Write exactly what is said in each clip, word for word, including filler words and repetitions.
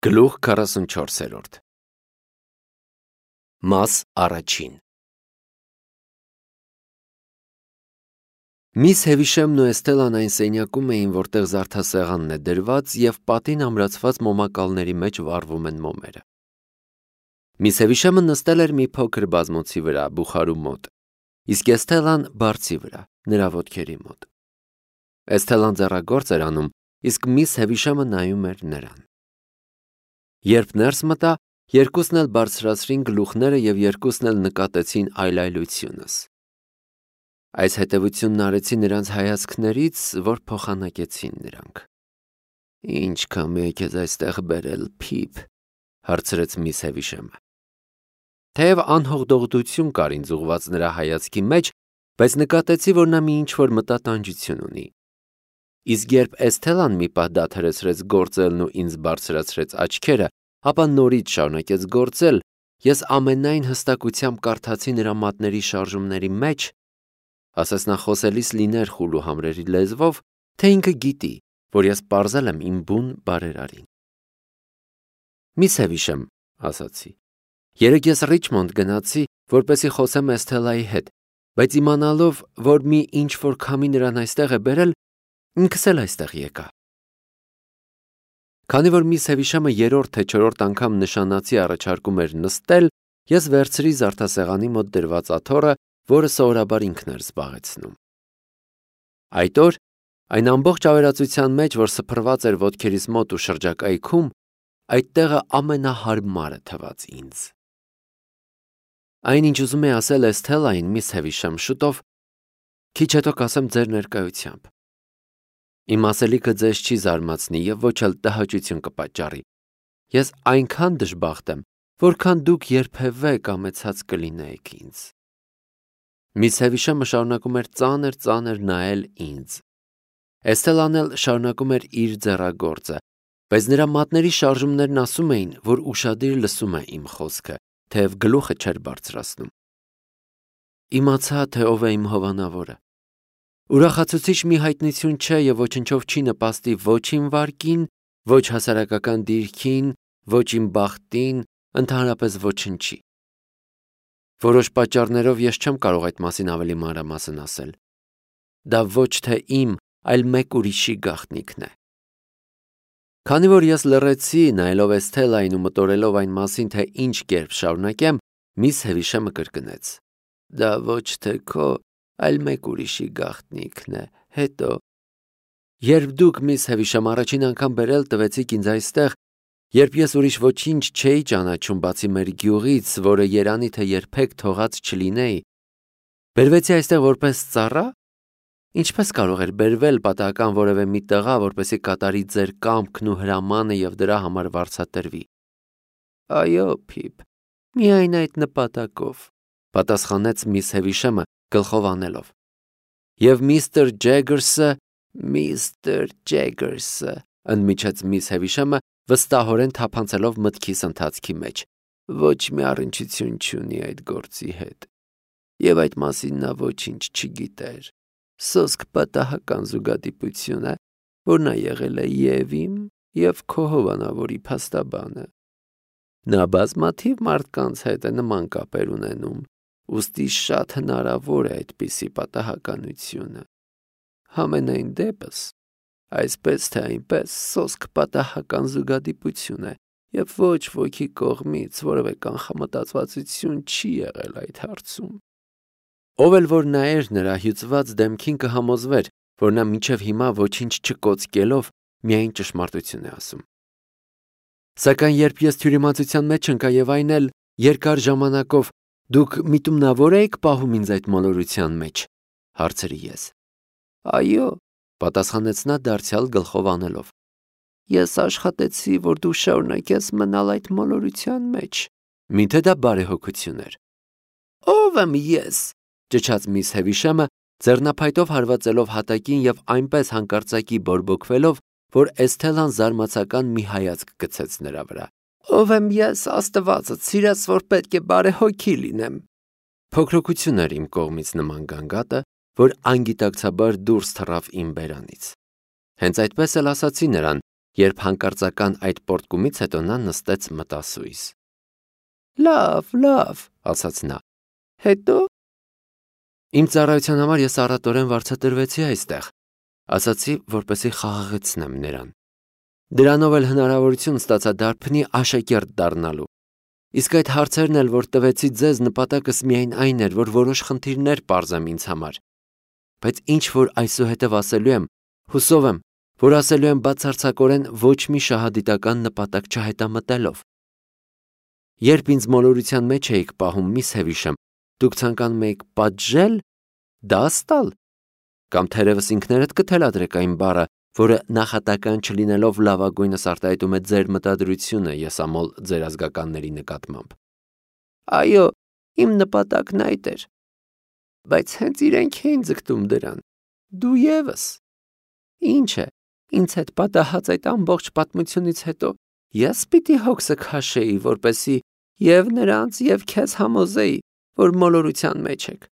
Գլուխ քառասունչորսերորդ Մաս առաջին Միս Հևիշեմն ու Էսթելան այն սենյակում էին, որտեղ զարդասեղանն է դրված և պատին ամրացված մոմակալների մեջ վառվում են մոմերը։ Միս Հևիշեմը նստել էր մի փոքր բազմոցի վրա, բուխարու մոտ, իսկ Էսթելան բարձի վրա, նրա ոտքերի մոտ։ Էսթելան ձեռագործ էր անում, իսկ միս Հևիշեմը նայում էր նրան։ Երբ ներս մտա, երկուսն էլ բարձրացրին գլուխները և երկուսն էլ նկատեցին այլայլությունս։ Այս հետևությունն արեցի նրանց հայացքներից, որ փոխանակեցին նրանք։ Ինչ կամի է քեզ այստեղ բերել, Փիփ, հարցրեց միս Հևիշեմը։ Թեև անհողդողություն կար ինձ ուղված նրա հայացքի մեջ, բայց նկատեցի, որ նա մի ինչ-որ մտատանջություն ունի։ Իսկ երբ Էսթելան մի պահ դադարեցրեց գործելն ու ինձ բարձրացրեց աչքերը, ապա նորից շարունակեց գործել, ես ամենայն հստակությամբ կարդացի նրա մատների շարժումների մեջ, ասես նա խոսելիս լիներ խուլ ու համրերի լեզվով, թե ինքը գիտի, որ ես պարզել եմ իմ բուն բարերարին։ Միս Հևիշեմ, ասացի, երեկ ես Ռիչմոնդ գնացի, որպեսզի խոսեմ Էսթելայի հետ, բայց իմանալով, որ մի ինչ-որ քամի նրան այստեղ է բերել, ինքս էլ այստեղ եկա։ Քանի որ միս Հևիշեմը երրորդ թե չորրորդ անգամ նշանացի առաջարկում էր նստել, ես վերցրի զարդասեղանի մոտ դրված աթոռը, որը սովորաբար ինքն էր զբաղեցնում։ Այդ օր, այն ամբողջ ավերածության մեջ, որ սփռված էր ոտքերիս մոտ ու շրջակայքում, այդ տեղը ամենահարմարը թվաց ինձ։ Այն, ինչ ուզում էի ասել Էսթելային, միս Հևիշեմ, շուտով, քիչ հետո կասեմ ձեր ներկայությամբ։ Իմ ասելիքը ձեզ չի զարմացնի և ոչ էլ տհաճություն կպատճառի։ Ես այնքան դժբախտ եմ, որքան դուք երբևէ կամեցած կլինեիք ինձ։ Միս Հևիշեմը շարունակում էր ծանր-ծանր նայել ինձ։ Էսթելան էլ շարունակում էր իր ձեռագործը, բայց նրա մատների շարժումներն ասում էին, որ ուշադիր լսում է իմ խոսքը, թեև գլուխը չէր բարձրացնում։ Իմացա, թե ով է իմ հովանավորը։ Ուրախացուցիչ մի հայտնություն չէ և ոչնչով չի նպաստի ոչ իմ վարկին, ոչ հասարակական դիրքին, ոչ իմ բախտին, ընդհանրապես ոչնչի։ Որոշ պատճառներով ես չեմ կարող այդ մասին ավելի մանրամասն ասել։ Դա ոչ թե իմ, այլ մեկ ուրիշի գաղտնիքն է։ Քանի որ ես լռեցի, նայելով Էսթելային ու մտորելով այն մասին, թե ինչ կերպ շարունակեմ, միս Հևիշեմը կրկնեց. Դա ոչ թե քո, այլ մեկ ուրիշի գաղտնիքն է, հետո։ Երբ դուք, միս Հևիշեմ, առաջին անգամ բերել տվեցիք ինձ այստեղ, երբ ես ուրիշ ոչինչ չէի ճանաչում բացի մեր գյուղից, որը երանի թե երբեք թողած չլինեի, բերվեցի այստեղ որպես ծառա։ Ինչպես կարող էր բերվել պատահական որևէ մի տղա, որպեսզի կատարի ձեր կամքն ու հրամանը և դրա համար վարձատրվի։ Այո, Փիփ, միայն այդ նպատակով, պատասխանեց միս Հևիշեմը գլխով անելով։ Եվ միստր Ջեգերսը, միստր Ջեգերսը, ընդմիջեց միս Հևիշեմը, վստահորեն թափանցելով մտքիս ընթացքի մեջ, ոչ մի առնչություն չունի այդ գործի հետ։ Եվ այդ մասին նա ոչինչ չգիտեր։ Սոսկ պատահական զուգադիպություն է, որ նա եղել է և իմ, և քո հովանավորի փաստաբանը։ Նա բազմաթիվ մարդկանց հետ է նման կապեր ունենում, ուստի շատ հնարավոր է այդպիսի պատահականությունը։ Համենայն դեպս, այսպես թե այնպես, սոսկ պատահական զուգադիպություն է, և ոչ ոքի կողմից որևէ կանխամտածվածություն չի եղել այդ հարցում։ Ով էլ որ նայեր նրա հյուծված դեմքին կհամոզվեր, որ նա մինչև հիմա ոչինչ չկոծկելով միայն ճշմարտություն է ասում։ Սակայն երբ ես թյուրիմացության մեջ ընկա և այն էլ երկար ժամանակով, դուք միտումնավոր էիք պահում ինձ այդ մոլորության մեջ, հարցրի ես։ Այո, պատասխանեց նա դարձյալ գլխով անելով։ Ես աշխատեցի, որ դու շարունակես մնալ այդ մոլորության մեջ։ Միթե դա բարեհոգություն էր։ Ո՞վ եմ ես, ճչաց միս Հևիշեմը, ձեռնափայտով հարվածելով հատակին և այնպես հանկարծակի բորբոքվելով, որ Էսթելան զարմացական մի հայացք գցեց նրա վրա։ Ով եմ ես, Աստվածը, սիրած, որ պետք է բարեհոգի լինեմ։ Փոքրոքություն էր իմ կողմից նման գանգատը, որ անգիտակցաբար դուրս թռավ իմ բերանից։ Հենց այդպես էլ ասացի նրան Երբ հանկարծական այդ պոռթկումից հետո նա նստեց մտասույզ։ Լավ, լավ, ասաց նա։ Հետո Իմ ծառայության համար ես առատորեն վարձատրվեցի այստեղ, ասացի, որպեսզի խաղաղեցնեմ նրան։ Դրանով էլ հնարավորություն ստացա դարբնի աշակերտ դառնալու։ Իսկ այդ հարցերն էլ, որ տվեցի ձեզ, նպատակս միայն այն էր, որ որոշ խնդիրներ պարզեմ ինձ համար։ Բայց ինչ որ այսուհետև ասելու եմ, հուսով եմ, որ ասելու եմ բացարձակորեն ոչ մի շահադիտական նպատակ չհետամտելով։ Երբ ինձ մոլորության մեջ էիք պահում, միս Հևիշեմ, դուք ցանկանում էիք պատժել, դաս տալ, կամ թերևս ինքներդ կթելադրեք այն բառը, որը նախատական չլինելով լավագույնս արտահայտում է ձեր մտադրությունը եսամոլ ձեր ազգականների նկատմամբ։ Այո, իմ նպատակն այդ էր, բայց հենց իրենք էին ձգտում դրան։ Դու ևս։ Ինչ է, ինձ հետ պատահած այդ ամբողջ պատմությունից հետո ես պիտի հոգսը քաշեի, որպեսզի և նրանց, և քեզ համոզեի, որ մոլորության մեջ եք։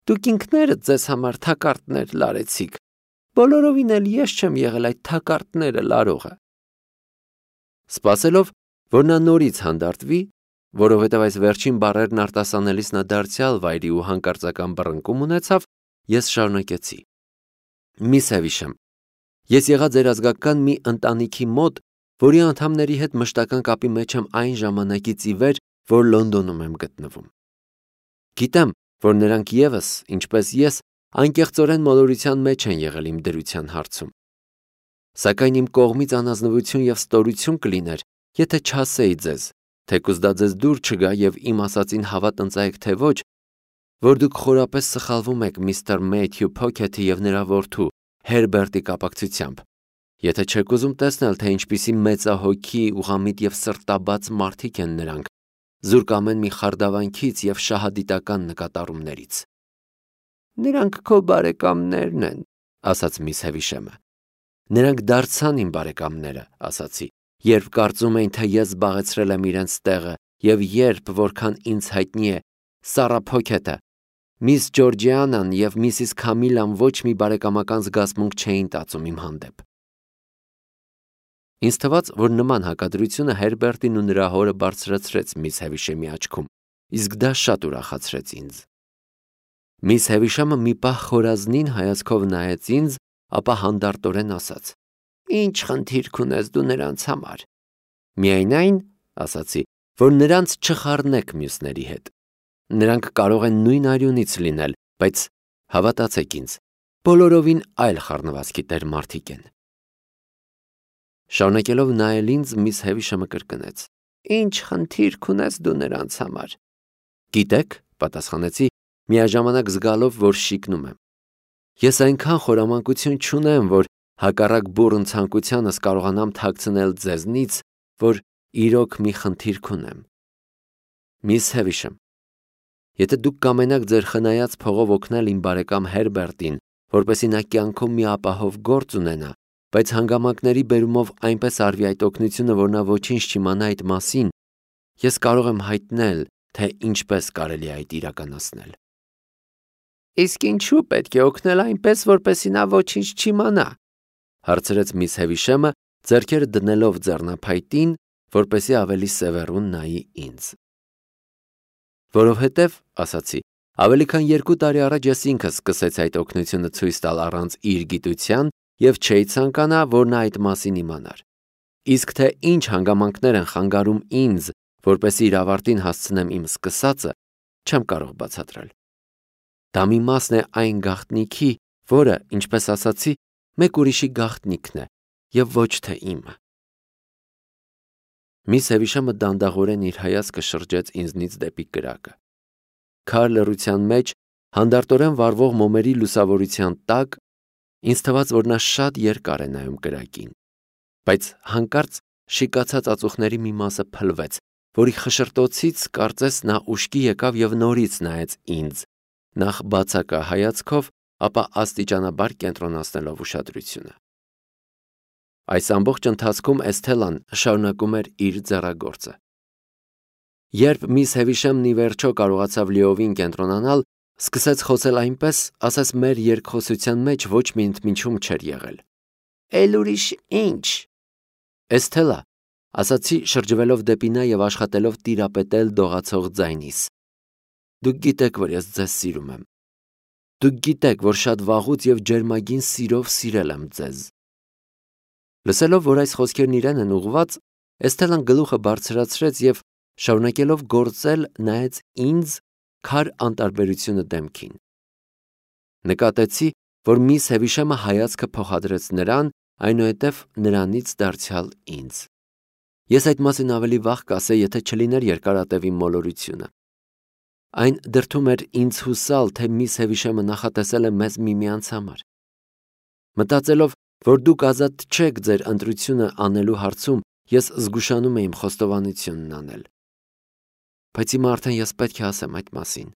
Դուք ինքներդ ձեզ համար թակարդներ լարեցիք, բոլորովին էլ ես չեմ եղել այդ թակարդները լարողը։ Սպասելով, որ նա նորից հանդարտվի, որովհետև այս վերջին բառերն արտասանելիս նա դարձյալ վայրի ու հանկարծական բռնկում ունեցավ, ես շարունակեցի. Միս Հևիշեմ, ես եղա ձեր ազգական մի ընտանիքի մոտ, որի անդամների հետ մշտական կապի մեջ եմ այն ժամանակից ի վեր, որ Լոնդոնում եմ գտնվում։ Գիտեմ, որ նրանք ևս, ինչպես ես, անկեղծորեն մոլորության մեջ են եղել իմ դրության հարցում։ Սակայն իմ կողմից անազնվություն և ստորություն կլիներ, եթե չասեի ձեզ, թեկուզ դա ձեզ դուր չգա և իմ ասածին հավատ ընծայեք թե ոչ, որ դուք խորապես սխալվում եք միստր Մեյթյու Փոքեթի և նրա որդու Հերբերտի կապակցությամբ, եթե չեք ուզում տեսնել, թե ինչպիսի մեծահոգի, ուղղամիտ և սրտաբաց մարդիկ են նրանք, զուրկ ամեն մի խարդավանքից և շահադիտական նկատառումներից։ Նրանք քո բարեկամներն են, ասաց միս Հևիշեմը։ Նրանք դարձան իմ բարեկամները, ասացի, երբ կարծում էին, թե ես զբաղեցրել եմ իրենց տեղը, և երբ, որքան ինձ հայտնի է, Սառա Փոքեթը, միս Ջորջիանան և միսիս Քամիլան ոչ մի բարեկամական զգացմունք չէին տածում իմ հանդեպ։ Ինձ թվաց, որ նման հակադրությունը Հերբերտին ու նրա հորը բարձրացրեց միս Հևիշեմի աչքում, իսկ դա շատ ուրախացրեց ինձ։ Միս Հևիշեմը մի պահ խորազնին հայացքով նայեց ինձ, ապա հանդարտորեն ասաց. Ինչ խնդիր կունես դու նրանց համար։ Միայն այն, ասացի, որ նրանց չխառնեք մյուսների հետ։ Նրանք կարող են նույն արյունից լինել, բայց հավատացեք ինձ, բոլորովին այլ խառնվածքի տեր մարդիկ են։ Շարունակելով նայել ինձ, միս Հևիշեմը կրկնեց. Ինչ խնդիր կունես դու նրանց համար։ Գիտեք, պատասխանեցի, միաժամանակ զգալով, որ շիկնում եմ։ Ես այնքան խորամանկություն չունեմ, որ հակառակ բուռն ցանկությանս կարողանամ թաքցնել ձեզնից, որ իրոք մի խնդիր կունեմ։ Միս Հևիշեմ, եթե դուք կամենաք ձեր խնայած փողով օգնել իմ բարեկամ Հերբերտին, որպեսզի նա կյանքում մի ապահով գործ ունենա, բայց հանգամանքների բերումով այնպես արվի այդ օգնությունը, որ նա ոչինչ չիմանա այդ մասին, ես կարող եմ հայտնել, թե ինչպես կարելի է այդ իրականացնել։ Իսկ ինչու պետք է օգնել այնպես, որպեսզի նա ոչինչ չիմանա, հարցրեց միս Հևիշեմը, ձեռքերը դնելով ձեռնափայտին, որպեսզի ավելի սևեռուն նայի ինձ։ Որովհետև, ասացի, ավելի քան երկու տարի առաջ ես ինքս սկսեցի այդ օգնությունը ցույց տալ առանց իր գիտության և չէի ցանկանա, որ նա այդ մասին իմանար։ Իսկ թե ինչ հանգամանքներ են խանգարում ինձ, որպեսզի իր ավարտին հասցնեմ իմ սկսածը, չեմ կարող բացատրել։ Դա մի մասն է այն գաղտնիքի, որը, ինչպես ասացի, մեկ ուրիշի գաղտնիքն է և ոչ թե իմը։ Միս Հևիշեմը դանդաղորեն իր հայացքը շրջեց ինձնից դեպի կրակը։ Քար լռության մեջ, հանդարտորեն վառվող մոմերի լուսավորության տակ, ինձ թվաց, որ նա շատ երկար է նայում կրակին, բայց հանկարծ շիկացած ածուխների մի մասը փլվեց, որի խշշրտոցից կարծես նա ուշքի եկավ և նորից նայեց ինձ, նախ բացակա հայացքով, ապա աստիճանաբար կենտրոնացնելով ուշադրությունը։ Այս ամբողջ ընթացքում Էսթելան շարունակում էր իր ձեռագործը։ Երբ միս Հևիշեմն ի վերջո կարողացավ լիովին կենտրոնանալ, սկսեց խոսել այնպես, ասես մեր երկխոսության մեջ ոչ մի ընդմիջում չէր եղել։ Էլ ուրիշ ինչ, Էսթելա, ասացի շրջվելով դեպի նա եւ աշխատելով տիրապետել դողացող ձայնիս։ Դուք գիտեք, որ ես ձեզ սիրում եմ։ Դուք գիտեք, որ շատ վաղուց եւ ջերմագին սիրով սիրել եմ ձեզ։ Լսելով, որ այս խոսքերն իրեն են ուղված, Էսթելան գլուխը բարձրացրեց եւ շարունակելով գործել նայեց ինձ քար անտարբերությունը դեմքին։ Նկատեցի, որ միս Հևիշամը հայացքը փոխադրեց նրան, այնուհետև նրանից դարձյալ ինձ։ Ես այդ մասին ավելի վաղ կասեի, եթե չլիներ երկարատևի մոլորությունը։ Այն դրդում էր ինձ հուսալ, թե միս Հևիշամը նախատեսել է մեզ միմյանց համար։ Մտածելով, որ դուք ազատ չեք ձեր ընտրությունը անելու հարցում, ես զգուշանում էի իմ խոստովանությունն անել։ Բայց հիմա արդեն ես պետք է ասեմ այդ մասին։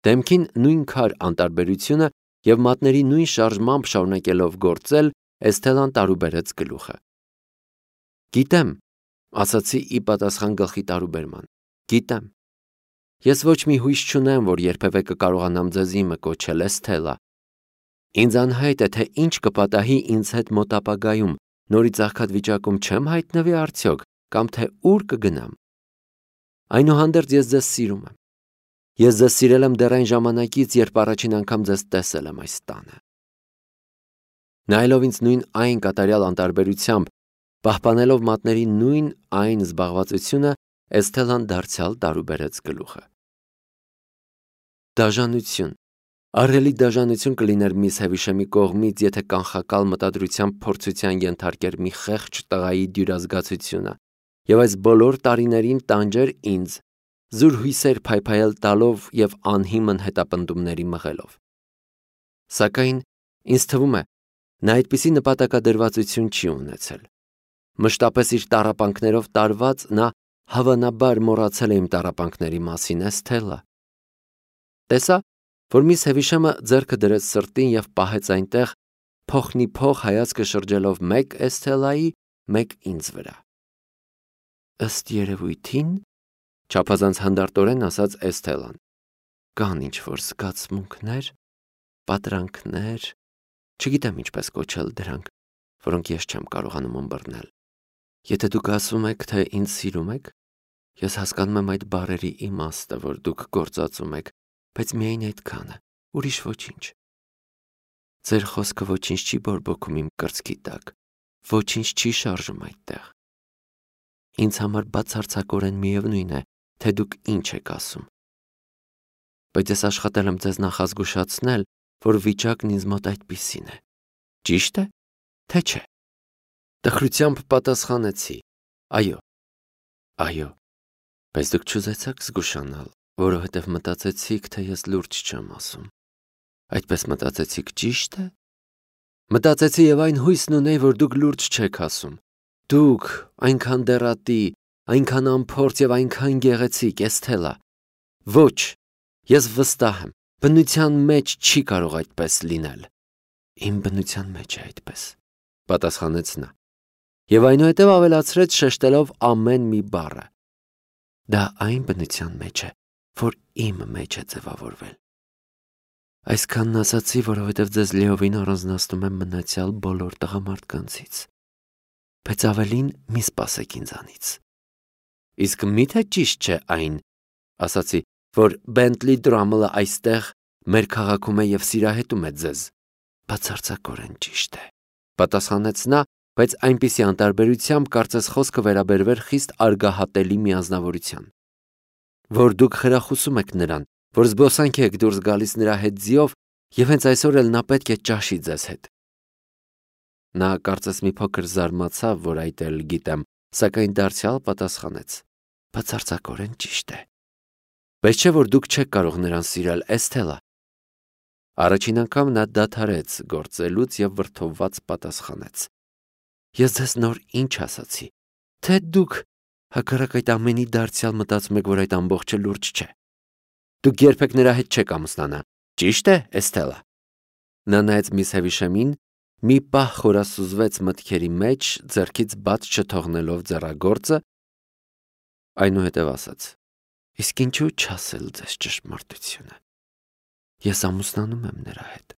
Դեմքին նույն քար անտարբերությունը եւ մատների նույն շարժմամբ շարունակելով գործել, Էսթելան տարուբերեց գլուխը։ Գիտեմ, ասացի ի պատասխան գլխի տարուբերման։ Գիտեմ։ Ես ոչ մի հույս չունեմ, որ երբևէ կկարողանամ ձեզ իմը կոչել, Էսթելա։ Ինձ անհայտ է, թե ինչ կպատահի ինձ հետ մոտ ապագայում, նորից աղքատ վիճակում չեմ հայտնվի արդյոք, կամ թե ուր կգնամ։ Այնուհանդերձ ես ձեզ սիրում եմ։ Ես ձեզ սիրել եմ դեռ այն ժամանակից, երբ առաջին անգամ ձեզ տեսել եմ այս տանը։ Նայելով ինձ նույն այն կատարյալ անտարբերությամբ, պահպանելով մատների նույն այն զբաղվածությունը, Էսթելան դարձյալ տարուբերեց գլուխը։ Դաժանություն, ահռելի դաժանություն կլիներ միս Հևիշամի կողմից, եթե կանխակալ մտադրությամբ փորձության ենթարկեր մի խեղճ տղայի դյուրազգացությունը եւ այս բոլոր տարիներին տանջեր ինձ, զուր հույսեր փայփայել տալով եւ անհիմն հետապնդումների մղելով։ Սակայն ինձ թվում է, նա այդպիսի նպատակադրվածություն չի ունեցել։ Մշտապես իր տառապանքներով տարված նա հավանաբար մոռացել է իմ տառապանքների մասին, Էսթելա։ Տեսա, որ միս Հևիշամը ձեռքը դրեց սրտին եւ պահեց այնտեղ, փոխնի փոխ հայացքը շրջելով մեկ Էսթելայի, մեկ ինձ վրա։ Ըստ երևույթին, չափազանց հանդարտորեն ասաց Էսթելան, կան ինչ-որ զգացմունքներ, պատրանքներ, չգիտեմ ինչպես կոչել դրանք, որոնք ես չեմ կարողանում ըմբռնել։ Եթե դուք ասում եք, թե ինձ սիրում եք, ես հասկանում եմ այդ բառերի իմաստը, որ դուք գործածում եք, բայց միայն այդքանը, ուրիշ ոչինչ։ Ձեր խոսքը ոչինչ չի բորբոքում իմ կրծքի տակ, ոչինչ չի շարժում այդտեղ։ Ինձ համար բացարձակորեն միևնույն է, թե դուք ինչ եք ասում։ Բայց ես աշխատել եմ ձեզ նախազգուշացնել, որ վիճակն ինձ մոտ այդպիսին է։ Ճիշտ է, թե չէ։ Տխրությամբ պատասխանեցի. Այո։ Այո։ Բայց դուք չուզեցաք զգուշանալ, որովհետև մտածեցիք, թե ես լուրջ չեմ ասում։ Այդպես մտածեցիք, ճիշտ է։ Մտածեցի եւ այն հույսն ունեի, որ դուք լուրջ չեք ասում։ Դուք այնքան դեռատի, այնքան անփորձ եւ այնքան գեղեցիկ, Էսթելա։ Ոչ, ես վստահ եմ, բնության մեջ չի կարող այդպես լինել։ Իմ բնության մեջ է այդպես, պատասխանեց նա։ Եվ այնուհետև ավելացրեց շեշտելով ամեն մի բառը։ Դա այն բնության մեջ է, որ իմ մեջ է ձևավորվել։ Այսքանն ասացի, որովհետև ձեզ լիովին առանձնացնում եմ մնացյալ բոլոր տղամարդկանցից։ Բայց ավելին մի սպասեք ինձանից։ Իսկ միթե ճիշտ չէ այն, ասացի, որ Բենտլի Դրամլը այստեղ մեր քաղաքում է եւ սիրահետում է ձեզ։ Բացարձակորեն ճիշտ է, պատասխանեց նա, բայց այնպիսի անտարբերությամբ կարծես խոսքը վերաբերվեր խիստ արգահատելի միանձնավորության, որ դուք խրախուսում եք նրան, որ զբոսանք եք դուրս գալիս նրա հետ ձիով եւ հենց այսօր էլ նա պետք է ճաշի ձեզ հետ։ Նա կարծես մի փոքր զարմացավ, որ այդ էլ գիտեմ, սակայն դարձյալ պատասխանեց. Բացարձակորեն ճիշտ է։ Բայց չէ որ դուք չեք կարող նրան սիրել, Էսթելա։ Առաջին անգամ նա դադարեց գործելուց եւ վրդովված պատասխանեց. Ես ձեզ նոր ինչ ասացի, թե դուք հակառակ այդ ամենի դարձյալ մտածում եք, որ այդ ամբողջը լուրջ չէ։ Դուք երբեք նրա հետ չեք ամուսնանա, ճիշտ է, Էսթելա։ Նա նայեց միս Հևիշամին, մի պահ խորասուզվեց մտքերի մեջ, ձեռքից բաց չթողնելով ձեռագործը, այնուհետև ասաց. Իսկ ինչու չասել ձեզ ճշմարտությունը։ Ես ամուսնանում եմ նրա հետ։